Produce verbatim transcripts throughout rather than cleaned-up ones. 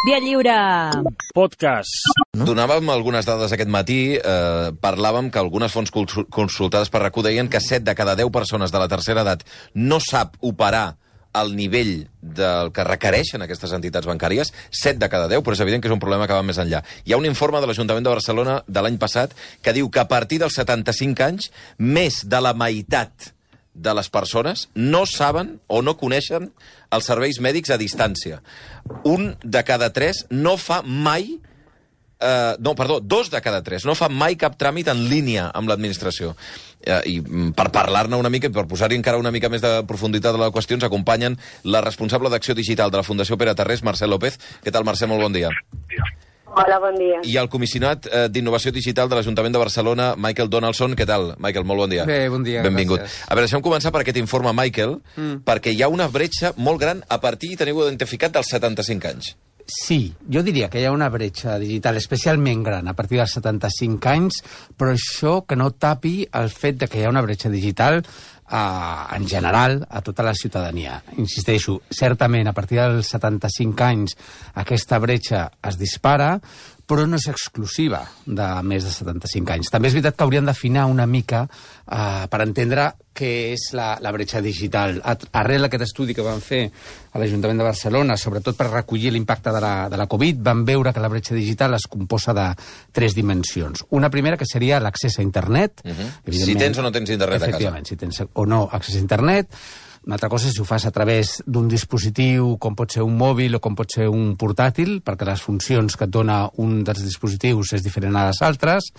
Via Lliure. Podcast. No? Donàvem algunes dades aquest matí, eh, parlàvem que algunes fonts consultades per RAC1 deien que set de cada deu persones de la tercera edat no sap operar al nivell del que requereixen aquestes entitats bancàries, set de cada deu, però és evident que és un problema que va més enllà. Hi ha un informe de l'Ajuntament de Barcelona de l'any passat que diu que a partir dels setanta-cinc anys, més de la meitat de les persones no saben o no coneixen els serveis mèdics a distància. Un de cada tres no fa mai... Uh, no, perdó, dos de cada tres no fa mai cap tràmit en línia amb l'administració. Uh, I per parlar-ne una mica i per posar-hi encara una mica més de profunditat a la qüestió ens acompanyen la responsable d'acció digital de la Fundació Pere Tarrés, Mercè López. Què tal, Mercè? Molt bon dia. Hola, bon dia. I el comissionat eh, d'Innovació Digital de l'Ajuntament de Barcelona, Michael Donaldson. Què tal, Michael? Molt bon dia. Bé, bon dia. Benvingut. Gràcies. A veure, deixem començar per aquest informe, Michael, mm. perquè hi ha una bretxa molt gran a partir, teniu identificat, dels setanta-cinc anys. Sí, jo diria que hi ha una bretxa digital especialment gran a partir dels setanta-cinc anys, però això que no tapi el fet de que hi ha una bretxa digital eh, en general a tota la ciutadania. Insisteixo, certament a partir dels setanta-cinc anys aquesta bretxa es dispara, però no és exclusiva de més de setanta-cinc anys. També és veritat que hauríem d'afinar una mica eh, per entendre què és la, la bretxa digital. Arrel d'aquest estudi que van fer a l'Ajuntament de Barcelona, sobretot per recollir l'impacte de la, de la Covid, van veure que la bretxa digital es composa de tres dimensions. Una primera, que seria l'accés a internet. Uh-huh. Si tens o no tens internet a casa. Efectivament, si tens o no accés a internet. Una altra cosa és si ho fas a través d'un dispositiu, com pot ser un mòbil o com pot ser un portàtil, perquè les funcions que et dona un dels dispositius és diferent a les altres.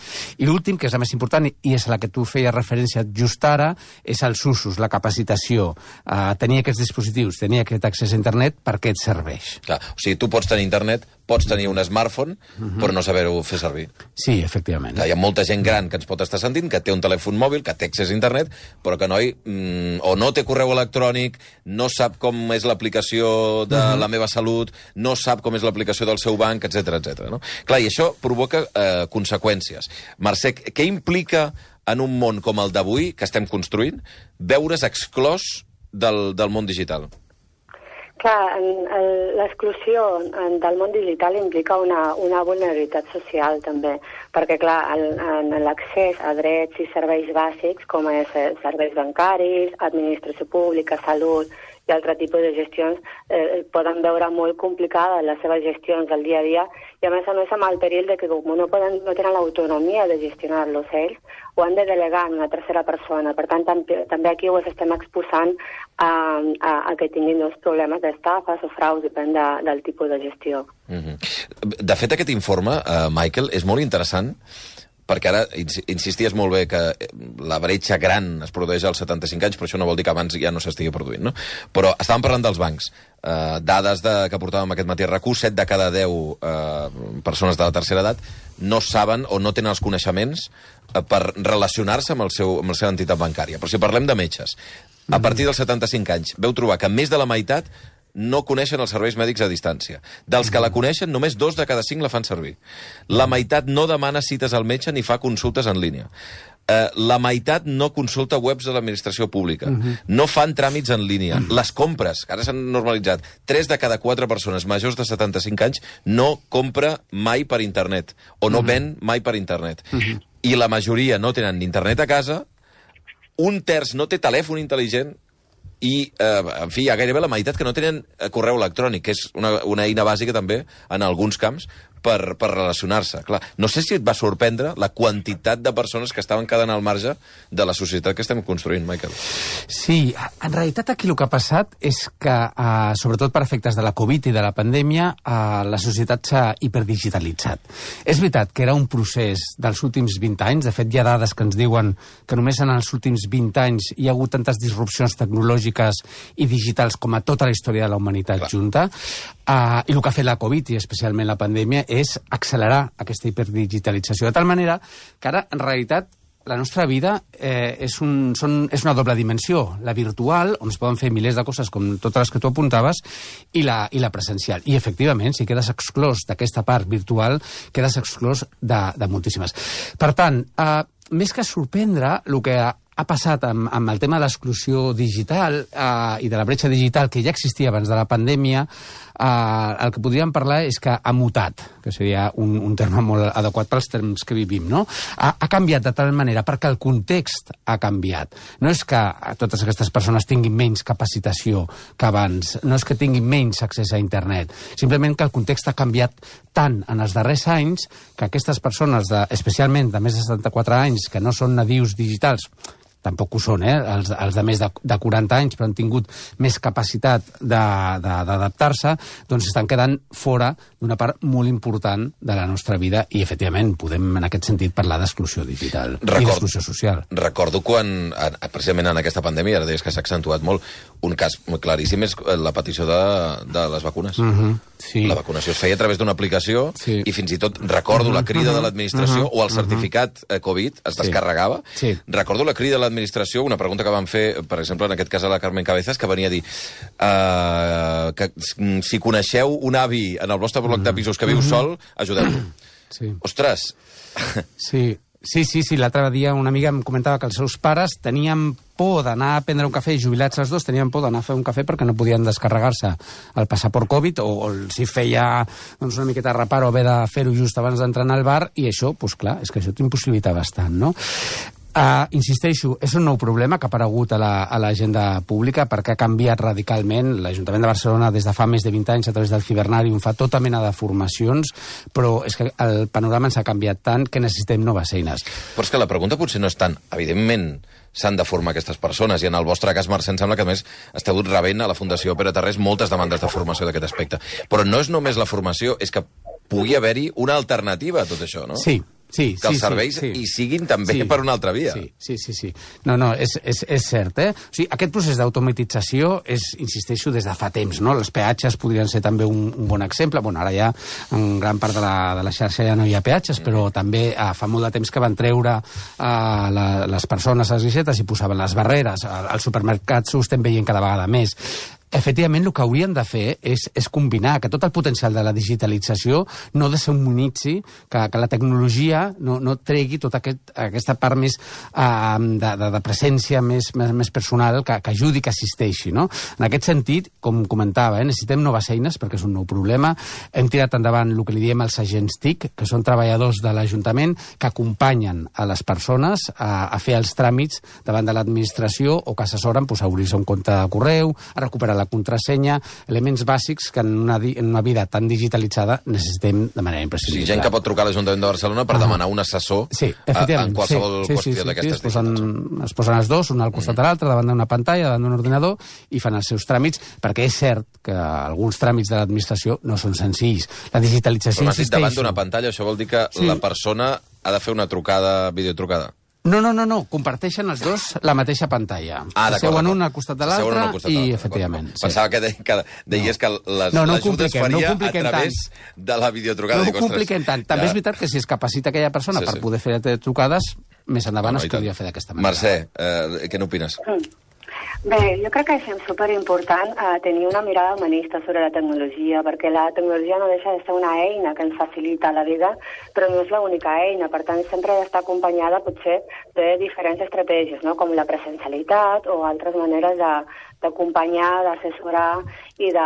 I l'últim, que és la més important, i és a la que tu feies referència just ara, és els usos, la capacitació. Uh, tenir aquests dispositius, tenir aquest accés a internet, per què et serveix? Clar, o sigui, tu pots tenir internet, pots tenir un smartphone, uh-huh. però no saber-ho fer servir. Sí, efectivament. Clar, hi ha molta gent gran que ens pot estar sentint, que té un telèfon mòbil, que té accés a internet, però que noi, mm, o no té correu electrònic, no sap com és l'aplicació de uh-huh. la meva salut, no sap com és l'aplicació del seu banc, etcètera, etcètera. No? Clar, i això provoca eh, conseqüències. Mercè, què implica en un món com el d'avui, que estem construint, veure's exclòs del, del món digital? Clar, l'exclusió del món digital implica una, una vulnerabilitat social, també, perquè, clar, en, en l'accés a drets i serveis bàsics, com és serveis bancaris, administració pública, salut i altre tipus de gestions, eh, poden veure molt complicades les seves gestions del dia a dia, i a més a més amb el perill de que com no, poden, no tenen l'autonomia de gestionar-los ells, ho han de delegar en una tercera persona. Per tant, també, també aquí ho estem exposant a, a, a que tinguin dos problemes d'estafes o fraus, depèn de, del tipus de gestió. Mm-hmm. De fet, aquest informe, uh, Michael, és molt interessant, perquè ara insisties molt bé que la bretxa gran es produeix als setanta-cinc anys, però això no vol dir que abans ja no s'estigui produint, no? Però estàvem parlant dels bancs. Uh, dades de, que portàvem aquest matí a RAC1, set de cada deu uh, persones de la tercera edat no saben o no tenen els coneixements uh, per relacionar-se amb, el seu, amb la seva entitat bancària. Però si parlem de metges, a partir dels setanta-cinc anys veu trobar que més de la meitat no coneixen els serveis mèdics a distància. Dels que la coneixen, només dos de cada cinc la fan servir. La meitat no demana cites al metge ni fa consultes en línia. Uh, la meitat no consulta webs de l'administració pública. Uh-huh. No fan tràmits en línia. Uh-huh. Les compres, que ara s'han normalitzat, tres de cada quatre persones majors de setanta-cinc anys no compra mai per internet, o no uh-huh. ven mai per internet. Uh-huh. I la majoria no tenen ni internet a casa, un terç no té telèfon intel·ligent, i, eh, en fi, hi ha gairebé la meitat que no tenen correu electrònic, que és una, una eina bàsica també, en alguns camps, per, per relacionar-se. Clar, no sé si et va sorprendre la quantitat de persones que estaven quedant al marge de la societat que estem construint, Michael. Sí, en realitat aquí el que ha passat és que, eh, sobretot per efectes de la Covid i de la pandèmia, eh, la societat s'ha hiperdigitalitzat. És veritat que era un procés dels últims vint anys, de fet hi ha dades que ens diuen que només en els últims vint anys hi ha hagut tantes disrupcions tecnològiques i digitals com a tota la història de la humanitat Clar. junta, eh, i el que ha fet la Covid i especialment la pandèmia és accelerar aquesta hiperdigitalització, de tal manera que ara, en realitat, la nostra vida eh, és, un, són, és una doble dimensió, la virtual, on es poden fer milers de coses com totes les que tu apuntaves, i la, i la presencial. I, efectivament, si quedes exclòs d'aquesta part virtual, quedes exclòs de, de moltíssimes. Per tant, eh, més que sorprendre, el que ha passat amb, amb el tema de l'exclusió digital eh, i de la bretxa digital que ja existia abans de la pandèmia, eh, el que podríem parlar és que ha mutat, que seria un, un terme molt adequat pels temps que vivim, no? Ha, ha canviat de tal manera perquè el context ha canviat. No és que totes aquestes persones tinguin menys capacitació que abans, no és que tinguin menys accés a internet, simplement que el context ha canviat tant en els darrers anys que aquestes persones, de, especialment de més de setanta-quatre anys, que no són nadius digitals, tampoc ho són, eh? Els, els de més de, de quaranta anys, però han tingut més capacitat d'adaptar-se, doncs estan quedant fora d'una part molt important de la nostra vida i, efectivament, podem, en aquest sentit, parlar d'exclusió digital Record, i d'exclusió social. Recordo quan, precisament en aquesta pandèmia, ara deies que s'ha accentuat molt, un cas claríssim és la petició de, de les vacunes. Uh-huh. Sí. La vacunació es feia a través d'una aplicació sí. i fins i tot recordo uh-huh. la crida uh-huh. de l'administració uh-huh. o el certificat uh-huh. Covid es descarregava. Sí. Sí. Recordo la crida de l'administració, una pregunta que van fer, per exemple, en aquest cas a la Carmen Cabezas, que venia a dir uh, que si coneixeu un avi en el vostre bloc uh-huh. de pisos que viu uh-huh. sol, ajudeu-lo. Sí. Ostres! Sí. Sí, sí, sí. L'altre dia una amiga em comentava que els seus pares tenien por d'anar a prendre un cafè, jubilats els dos, tenien por d'anar a fer un cafè perquè no podien descarregar-se el passaport Covid o, o si feia doncs, una miqueta de reparo haver de fer-ho just abans d'entrar al bar i això, doncs clar, és que això t'impossibilita bastant, no? Uh, insisteixo, és un nou problema que ha aparegut a l'agenda pública perquè ha canviat radicalment. L'Ajuntament de Barcelona des de fa més de vint anys a través del Cibernàrium fa tota mena de formacions, però és que el panorama ens ha canviat tant que necessitem noves eines. Però és que la pregunta potser no és tant, evidentment, s'han de formar aquestes persones, i en el vostre cas, Mercè, em sembla que a més esteu rebent a la Fundació Pere Tarrés moltes demandes de formació d'aquest aspecte. Però no és només la formació, és que pugui haver-hi una alternativa a tot això, no? Sí. Sí, que els sí, serveis sí, hi siguin també sí, per una altra via. Sí, sí, sí. sí. No, no, és, és, és cert, eh? O sigui, aquest procés d'automatització és, insisteixo, des de fa temps, no? Els peatges podrien ser també un, un bon exemple. Bueno, ara ja en gran part de la, de la xarxa ja no hi ha peatges, mm. però també eh, fa molt de temps que van treure eh, la, les persones a les guixetes i posaven les barreres. Als supermercats ho estem veient cada vegada més. Efectivament, el que haurien de fer és, és combinar que tot el potencial de la digitalització no desumanitzi, que, que la tecnologia no, no tregui tota aquest, aquesta part més uh, de, de, de presència més, més, més personal que, que ajudi, que assisteixi, no? En aquest sentit, com comentava, eh, necessitem noves eines perquè és un nou problema. Hem tirat endavant el que li diem els agents T I C, que són treballadors de l'Ajuntament que acompanyen a les persones a, a fer els tràmits davant de l'administració o que assessoren pues, a obrir-se un compte de correu, a recuperar la contrasenya, elements bàsics que en una, en una vida tan digitalitzada necessitem de manera imprescindible. Sí, gent que pot trucar a l'Ajuntament de Barcelona per ah. demanar un assessor sí, efectivament, en qualsevol sí, sí, qüestió sí, sí, d'aquestes sí, es, posen, es posen els dos, un al costat mm. de l'altre, davant d'una pantalla, davant d'un ordinador, i fan els seus tràmits, perquè és cert que alguns tràmits de l'administració no són senzills. La digitalització, però insisteixo... davant d'una pantalla, això vol dir que sí. la persona ha de fer una trucada, videotrucada? No, no, no, no, comparteixen els dos la mateixa pantalla. Ah, seuen un al costat de l'altre i, efectivament... Sí. Pensava que, de, que deies no. que les, no, no l'ajuda es faria no a través tant. de la videotrucada. No ho compliquem tant. També ja. és veritat que si es capacita aquella persona sí, per sí. poder fer trucades, més endavant no, es podria fer d'aquesta manera. Mercè, eh, què n'opines? Mm. Bé, jo crec que és superimportant eh, tenir una mirada humanista sobre la tecnologia, perquè la tecnologia no deixa de ser una eina que ens facilita la vida, però no és l'única eina, per tant sempre ha d'estar acompanyada potser de diferents estratègies, no? Com la presencialitat o altres maneres de, d'acompanyar, d'assessorar i de,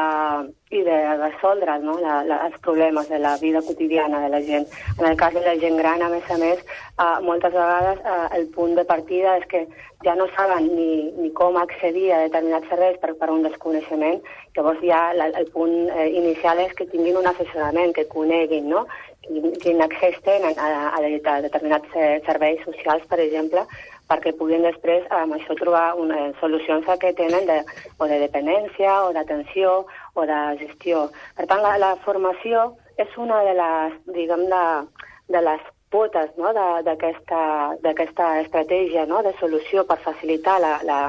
i de resoldre no? la, la, els problemes de la vida quotidiana de la gent. En el cas de la gent gran, a més a més, eh, moltes vegades eh, el punt de partida és que ja no saben ni, ni com accedir a determinats serveis per, per un desconeixement. Llavors ja la, el punt eh, inicial és que tinguin un assessorament, que coneguin, no? Quin, quin accés tenen a, a, a determinats eh, serveis socials, per exemple, perquè puguin després amb això trobar una, solucions que tenen de, o de dependència o d'atenció o de gestió. Per tant, la, la formació és una de les, diguem, de, de les potes no? d'aquesta estratègia no? de solució per facilitar la, la,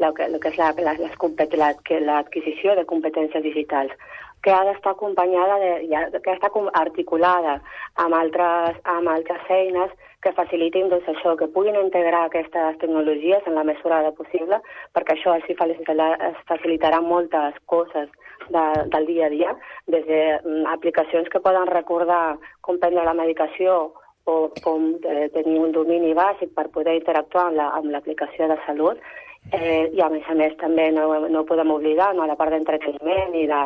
la, la, que és la, la, l'adquisició de competències digitals, que ha d'estar acompanyada, de, ja, que està articulada amb altres, amb altres eines que facilitin doncs, això, que puguin integrar aquestes tecnologies en la mesura de possible, perquè això així facilitarà moltes coses de, del dia a dia, des d'aplicacions que poden recordar com prendre la medicació o com eh, tenir un domini bàsic per poder interactuar amb, la, amb l'aplicació de salut. Eh, I a més a més també no, no podem oblidar no, la part d'entreteniment i de,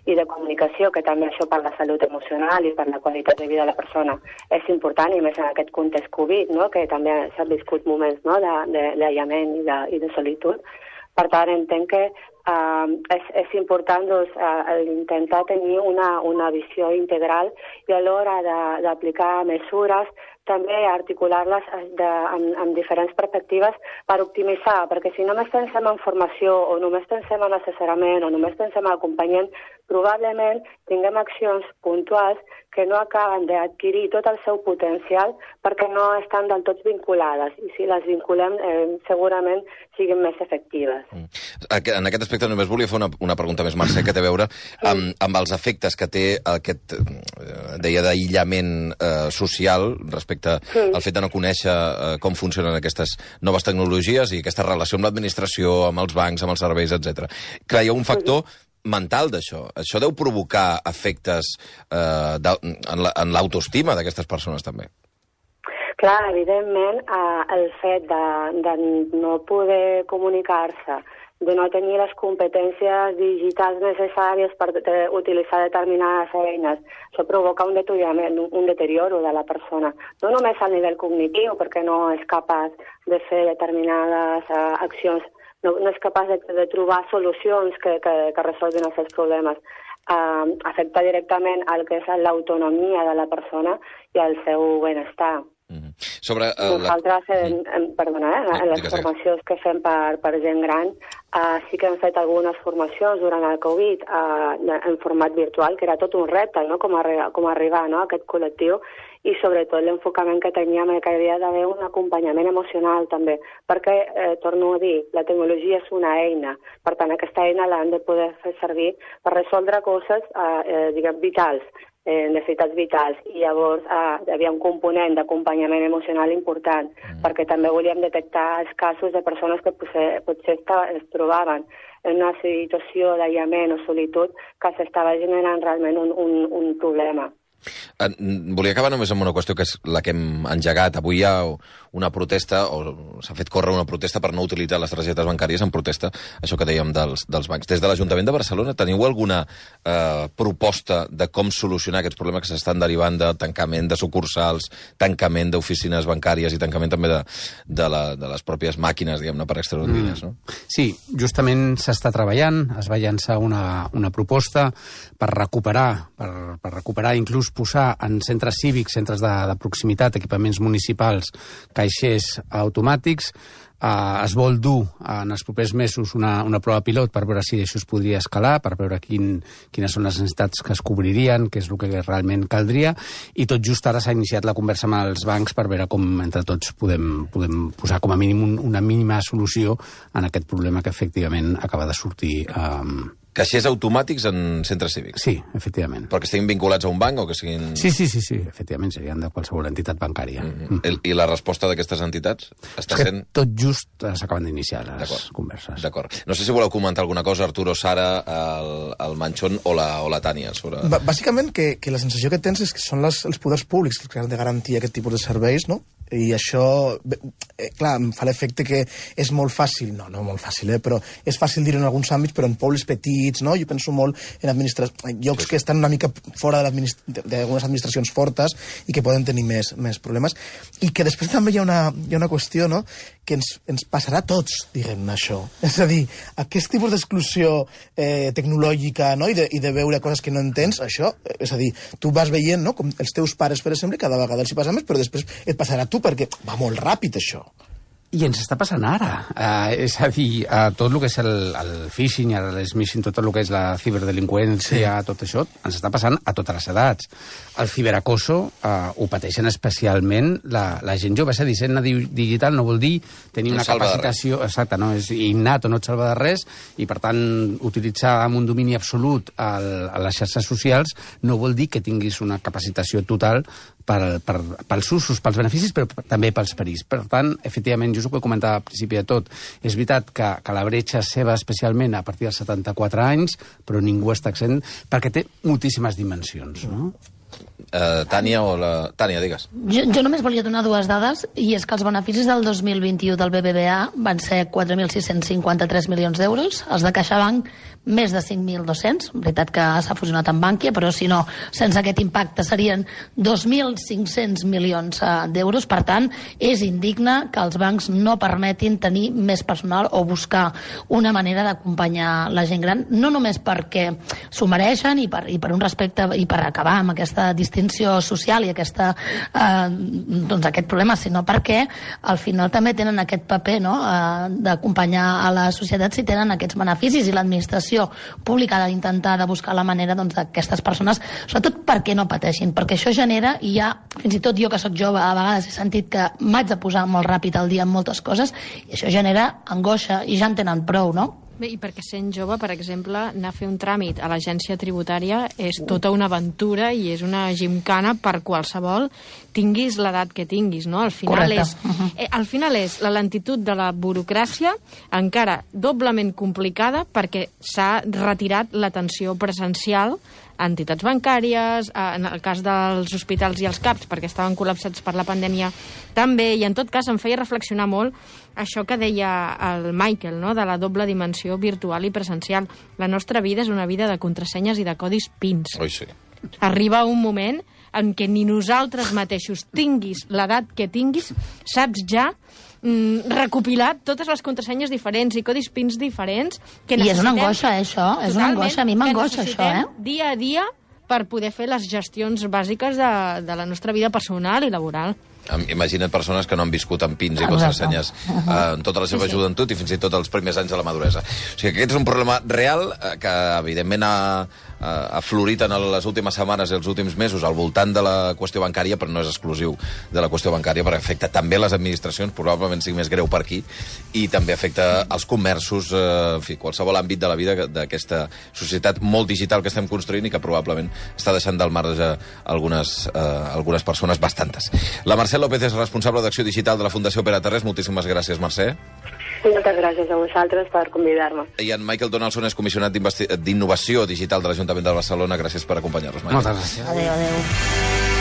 i de comunicació, que també això per la salut emocional i per la qualitat de vida de la persona és important, i més en aquest context Covid, no, que també s'han viscut moments no, d'aïllament i, de, i de solitud. Per tant, entenc que uh, és, és important doncs, uh, intentar tenir una, una visió integral i a l'hora d'aplicar mesures també articular-les amb, amb diferents perspectives per optimitzar, perquè si només pensem en formació o només pensem en assessorament o només pensem en acompanyament, probablement tinguem accions puntuals que no acaben d'adquirir tot el seu potencial perquè no estan del tot vinculades, i si les vinculem eh, segurament siguin més efectives. Mm. En aquest aspecte només volia fer una, una pregunta més, Mercè, que té a veure amb, amb els efectes que té aquest, deia, d'aïllament eh, social respecte sí. al fet de no conèixer eh, com funcionen aquestes noves tecnologies i aquesta relació amb l'administració, amb els bancs, amb els serveis, etcètera. Clar, hi ha un factor mental d'això. Això deu provocar efectes eh, en l'autoestima d'aquestes persones, també. Clar, evidentment, eh, el fet de, de no poder comunicar-se, de no tenir les competències digitals necessàries per utilitzar determinades eines, això provoca un deteriorament, un deterioro de la persona. No només a nivell cognitiu, perquè no és capaç de fer determinades uh, accions, no, no és capaç de, de trobar solucions que, que, que resolguin els seus problemes. Uh, afecta directament el que és l'autonomia de la persona i el seu benestar. Mm-hmm. Sobre, uh, Nosaltres, la... en, en, perdona, eh, en les formacions que fem per, per gent gran, uh, sí que hem fet algunes formacions durant el Covid uh, en format virtual, que era tot un repte, no?, com, arri com arribar no?, a aquest col·lectiu, i sobretot l'enfocament que teníem que havia d'haver un acompanyament emocional també, perquè, eh, torno a dir, la tecnologia és una eina, per tant aquesta eina l'hem de poder fer servir per resoldre coses eh, eh, diguem, vitals, eh, necessitats vitals, i llavors eh, hi havia un component d'acompanyament emocional important, mm. perquè també volíem detectar els casos de persones que potser, potser es trobaven en una situació d'aïllament o solitud que s'estava generant realment un, un, un problema. Volia acabar només amb una qüestió que és la que hem engegat. Avui hi ha una protesta, o s'ha fet córrer una protesta per no utilitzar les targetes bancàries en protesta, això que dèiem dels, dels bancs. Des de l'Ajuntament de Barcelona teniu alguna eh, proposta de com solucionar aquests problemes que s'estan derivant de tancament de sucursals, tancament d'oficines bancàries i tancament també de, de, la, de les pròpies màquines, diguem-ne, per extreure'n diners, no? Sí, justament s'està treballant, es va llançar una, una proposta per recuperar, per, per recuperar inclús posar en centres cívics, centres de, de proximitat, equipaments municipals, caixers automàtics. Uh, es vol dur uh, en els propers mesos una, una prova pilot per veure si això es podria escalar, per veure quin, quines són les necessitats que es cobririen, què és el que realment caldria, i tot just ara s'ha iniciat la conversa amb els bancs per veure com entre tots podem, podem posar com a mínim un, una mínima solució en aquest problema que efectivament acaba de sortir. Um... Caixers automàtics en centres cívics? Sí, efectivament. Però que estiguin vinculats a un banc o que siguin... Sí, sí, sí, sí, efectivament, serien de qualsevol entitat bancària. Mm-hmm. Mm-hmm. I la resposta d'aquestes entitats està sent... Tot just s'acaben d'iniciar les converses. D'acord. No sé si voleu comentar alguna cosa, Arturo, Sara, el, el Manchón o la, o la Tània. Sobre... Bàsicament, que, que la sensació que tens és que són les, els poders públics que han de garantir aquest tipus de serveis, no? I això, eh, clar, em fa l'efecte que és molt fàcil, no, no molt fàcil, eh, però és fàcil dir en alguns àmbits, però en pobles petits, no? Jo penso molt en administra... llocs que estan una mica fora d'algunes administracions fortes i que poden tenir més, més problemes. I que després també hi ha una, hi ha una qüestió, no?, que ens, ens passarà a tots, diguem-ne, això. És a dir, aquest tipus d'exclusió eh, tecnològica, no?, i de, i de veure coses que no entens, això, és a dir, tu vas veient, no?, com els teus pares, per exemple, cada vegada els hi passa més, però després et passarà a tu, perquè va molt ràpid, això. I ens està passant ara. Uh, és a dir, uh, tot el que és el, el phishing, el smishing, tot el que és la ciberdelinqüència, sí. Tot això, ens està passant a totes les edats. El ciberacoso uh, ho pateixen especialment la, la gent jove. És a dir, ser digital no vol dir tenir una capacitació... Exacte, no? És innat o no et salva de res, i per tant, utilitzar amb un domini absolut el, a les xarxes socials no vol dir que tinguis una capacitació total per, per, pels usos, pels beneficis, però també pels perills. Per tant, efectivament, just el que comentava al principi de tot, és veritat que, que la bretxa és seva especialment a partir dels setanta-quatre anys, però ningú està exempt, perquè té moltíssimes dimensions, no? Uh, Tània o la... Tània, digues. Jo, jo només volia donar dues dades, i és que els beneficis del dos mil vint-i-u del B B V A van ser quatre mil sis-cents cinquanta-tres milions d'euros, els de CaixaBank més de cinc mil dos-cents, veritat que s'ha fusionat amb Bànquia, però si no, sense aquest impacte serien dos mil cinc-cents milions uh, d'euros. Per tant, és indigne que els bancs no permetin tenir més personal o buscar una manera d'acompanyar la gent gran, no només perquè s'ho mereixen i per, i per un respecte i per acabar amb aquesta distinció social i aquesta, eh, doncs aquest problema, sinó perquè al final també tenen aquest paper, no?, eh, d'acompanyar a la societat si tenen aquests beneficis, i l'administració pública ha d'intentar de buscar la manera, doncs, d'aquestes persones, sobretot perquè no pateixin, perquè això genera, i ja, fins i tot jo que sóc jove, a vegades he sentit que m'haig de posar molt ràpid al dia en moltes coses, i això genera angoixa, i ja en tenen prou, no? Bé, i perquè sent jove, per exemple, anar a fer un tràmit a l'agència tributària és tota una aventura i és una gimcana per qualsevol, tinguis l'edat que tinguis, no? Al final és, eh, al final és la lentitud de la burocràcia encara doblement complicada perquè s'ha retirat l'atenció presencial a entitats bancàries, en el cas dels hospitals i els CAPs, perquè estaven col·lapsats per la pandèmia també, i en tot cas em feia reflexionar molt això que deia el Michael, no?, de la doble dimensió virtual i presencial. La nostra vida és una vida de contrasenyes i de codis pins. Oi, sí. Arriba un moment en què ni nosaltres mateixos, tinguis l'edat que tinguis, saps ja mm, recopilar totes les contrasenyes diferents i codis pins diferents que necessitem. I és una angoixa, eh, això? És una angoixa. A mi m'angoixa, això, eh? Dia a dia per poder fer les gestions bàsiques de, de la nostra vida personal i laboral. Imagina't persones que no han viscut amb pins i contrasenyes eh, en tota la seva sí, sí. joventut i fins i tot els primers anys de la maduresa. O sigui que aquest és un problema real eh, que, evidentment, ha, ha florit en les últimes setmanes i els últims mesos al voltant de la qüestió bancària, però no és exclusiu de la qüestió bancària, perquè afecta també les administracions, probablement sigui més greu per aquí, i també afecta els comerços, eh, en fi, qualsevol àmbit de la vida d'aquesta societat molt digital que estem construint i que probablement està deixant del marge algunes, eh, algunes persones, bastantes. La Mercè López és responsable d'acció digital de la Fundació Pere Tarrés. Moltíssimes gràcies, Mercè. Moltes gràcies a vosaltres per convidar-me. I en Michael Donaldson és comissionat d'Innovació Digital de l'Ajuntament de Barcelona. Gràcies per acompanyar-nos, Michael. Moltes gràcies. Adéu, adéu.